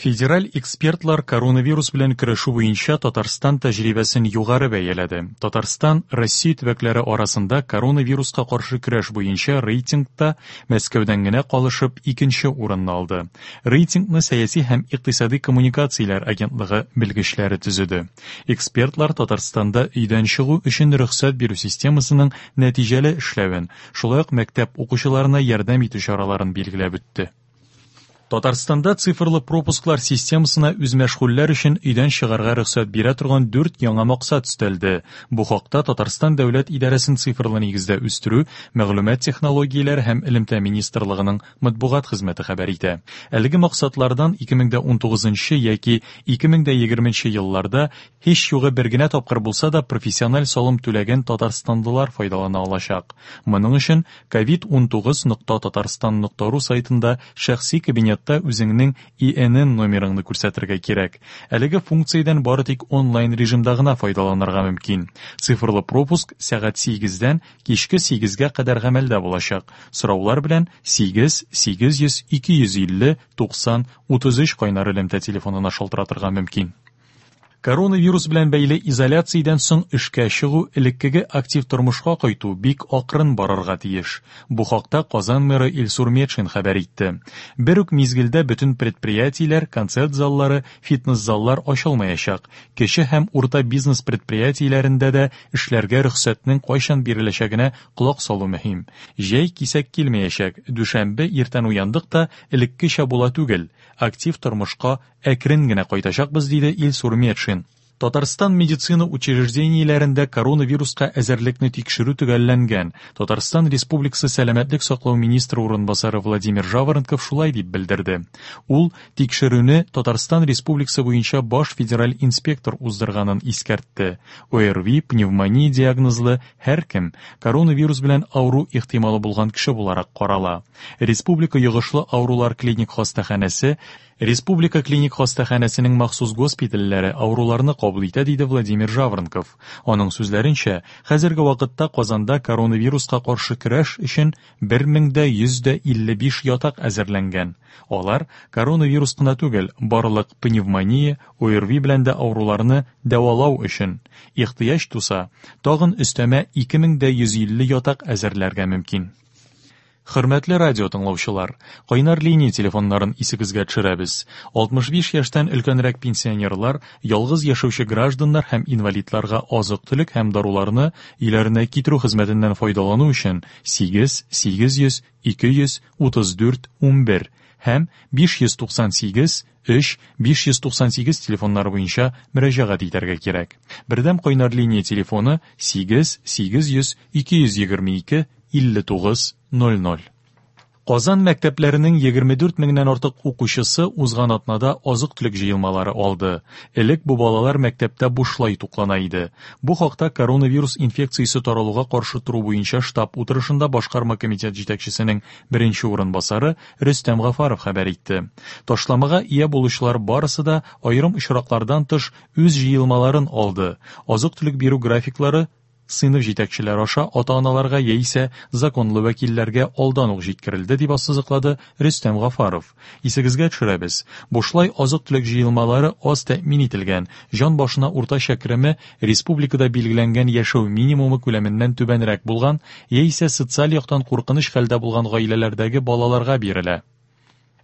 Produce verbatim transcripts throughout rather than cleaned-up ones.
Федераль экспертлар коронавирус белән көрәшү буенча Татарстан тәҗрибәсен югары бәяләде. Татарстан Россия төбәкләре арасында коронавируска каршы көрәш буенча рейтингта Мәскәүдән генә калышып икенче урынны алды. Рейтингны сәяси һәм икътисади коммуникацияләр агентлыгы белгечләре төзеде. Экспертлар Татарстанда өйдән чыгу өчен рөхсәт бирү системасының нәтиҗәле эшләвен, шулай ук мәктәп укучыларына ярдәм итү чараларын билгеләп үтте. Татарстанда цифрлы пропусклар системасына үзмәшгульләр өчен өйдән чыгарга рөхсәт бирә торган дүрт яңа максат өстәлде. Бу хакта Татарстан дәүләт идарәсен цифрлы нигездә үстерү, мәгълүмат технологияләре һәм элемтә министрлыгының матбугат хезмәте хәбәр итә. Әлеге максатлардан ике мең дә унтугызынчы яки ике мең дә егерменче елларда һич югы бер генә тапкыр булса да профессиональ салым түләгән татарстанлылар файдалана алачак. Моның өчен ковид унтугыз нокта татарстан нокта ру сайтында шәхси кабинет үзеңнең И Н Н номерыңны күрсәтергә кирәк. Әлеге функциядән бары тик онлайн режимда гына файдаланырга мөмкин. Цифрлы пропуск сәгать сигездән кичке сигезгә кадәр гамәлдә булачак. Сораулар белән сигез сигез йөз ике йөз илле туксан утыз өч кайнар элемтә телефонына шалтыратырга мөмкин. Коронавирус белән бәйле изоляциядән соң эшкә чыгу, элеккеге актив тормышка кайту бик акрын барырга тиеш. Бу хакта Казан мэры Илсур Метшин хәбәр итте. Бер үк мизгелдә бөтен предприятиеләр, концерт заллары, фитнес-заллар ачылмаячак. Кече һәм урта бизнес предприятиеләрендә дә эшләргә рөхсәтнең кайчан биреләчәгенә колак салу мөһим. Җәй кисәк килмәячәк. Дүшәмбе иртән уяндык та элеккечә була түгел. Актив тормышка әкрен генә кайтачакбыз, диде Илсур Метшин. Татарстан медицина учреждениеләрендә коронавируска әзерлекне тикшерү төгәлләнгән. Татарстан Республикасы сәламәтлек саклау министры урынбасары Владимир Жаворонков шулай дип белдерде. Ул тикшерүне Татарстан Республикасы буенча баш федераль инспектор уздырганын искәртте. О Р Ви, пневмония диагнозлы һәркем коронавирус белән авыру ихтималы булган кеше буларак карала. Республика йогышлы авырулар клиник хастаханәсе, Республика клиник хастаханәсенең махсус госпитальләре авыруларны кабул итә, диде Владимир Жаворонков. Аның сүзләренчә, хәзерге вакытта Казанда коронавируска каршы көрәш өчен бер мең дә йөз дә илле биш ятак әзерләнгән. Алар коронавирус кына түгел, барлык пневмония, О Р Ви белән дә авыруларны дәвалау өчен ихтыяҗ туса, тагын өстәмә ике мең дә йөз илле ятак әзерләргә мөмкин. Хөрмәтле радио тыңлаучылар, кайнар линия телефоннарын исегезгә төшерәбез. Алтмыш биш яшьтән өлкәнрәк пенсионерлар, ялгыз яшәүче гражданнар һәм инвалидларга азык-төлек һәм даруларны өйләренә китерү хезмәтеннән файдалану өчен сигез сигез йөз ике йөз утыз дүрт унбер һәм биш йөз туксан сигез өч биш йөз туксан сигез телефоннары буенча мөрәҗәгать итәргә кирәк. Бердәм кайнар линия телефоны сигез сигез йөз ике йөз егерме ике илле тугыз ноль ноль. Казан мәктәпләренең егерме дүрт меңнән артык укучысы узган атнада азык-төлек җыелмалары алды. Элек бу балалар мәктәптә бушлай туклана иде. Бу хакта коронавирус инфекциясе таралуга каршы тору буенча штаб утырышында башкарма комитет җитәкчесенең беренче урынбасары Рөстәм Гафаров хәбәр итте. Ташламага ия булучылар барысы да аерым очраклардан тыш үз җыелмаларын алды. Азык-төлек бирү графиклары сыйныф җитәкчеләре аша ата-аналарга яисә законлы вәкилләргә алдан ук җиткерелде, дип ассызыклады Рөстәм Гафаров. Исегезгә төшерәбез, бушлай азык-төлек җыелмалары аз тәэмин ителгән, җан башына уртача кереме республикада билгеләнгән яшәү минимумы күләменнән түбәнрәк булган яисә социаль яктан куркыныч хәлдә булган гаиләләрдәге балаларга бирелә.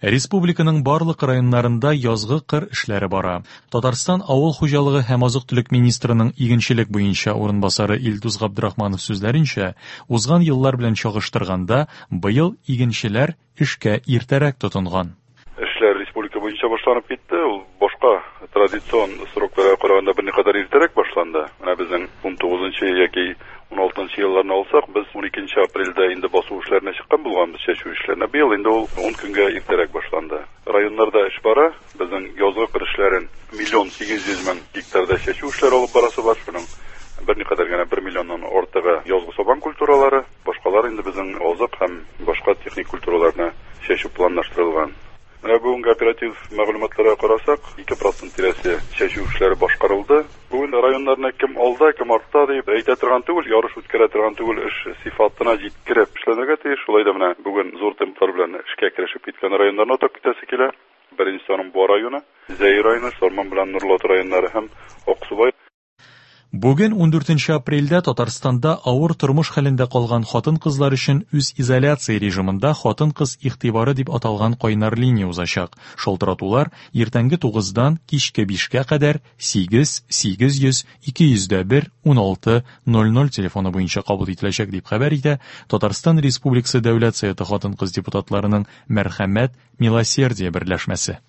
Республиканың барлык районнарында язгы кыр эшләре бара. Татарстан авыл хуҗалыгы һәм азык-төлек министрының игенчелек буенча урынбасары Илдус Габдрахманов сүзләренчә, узган еллар белән чагыштырганда, быел игенчеләр эшкә иртәрәк тотынган. Эшләр республика буенча башланып китте. Ул башка традицион срокларга караганда берникадәр иртәрәк башланды. Менә безнең ун тугызынчы яки ун алтынчы елларны алсак, без ун икенче апрельдә инде басу эшләренә чыккан булганбыз, чәчү эшләренә. Быел инде ул ун көнгә иртәрәк башланды. Районнарда эш бара. Безнең язгы кыр эшләрен миллион сигез йөз мең гектарда чәчү эшләре алып барасы бар. Шуның берникадәр генә бер миллионнан артыгы язгы сабан культуралары, башкалар инде безнең азык һәм башка техник культураларны чәчү планлаштырылган. Менә бүгенге оператив мәгълүматларга карасак, ике процент тирәсе чәчү эшләре башкарылды. Бүген районнарны кем алда, кем артта дип әйтә торган түгел, ярыш үткәрә торган түгел, эш сыйфатына җиткереп эшләнергә тиеш. Шулай да менә бүген зур темплар белән эшкә керешеп киткән районнарны атап китәсе килә. Беренче Башкортстанның Буа районы, Зәй районы, Сарман белән Нурлат районнары һәм Аксубай. Бүген ундүртенче апрельдә Татарстанда авыр тормыш хәлендә калган хатын-кызлар өчен үзизоляция режимында хатын-кыз игътибары дип аталган кайнар линия узачак. Шалтыратулар иртәнге тугыздан кичке бишкә кадәр сигез сигез йөз ике йөз дә бер уналты ноль ноль телефоны буенча кабул ителәчәк, дип хәбәр итә Татарстан Республикасы Дәүләт Советы хатын-кыз депутатларының Мәрхәмәт Милосердие берләшмәсе.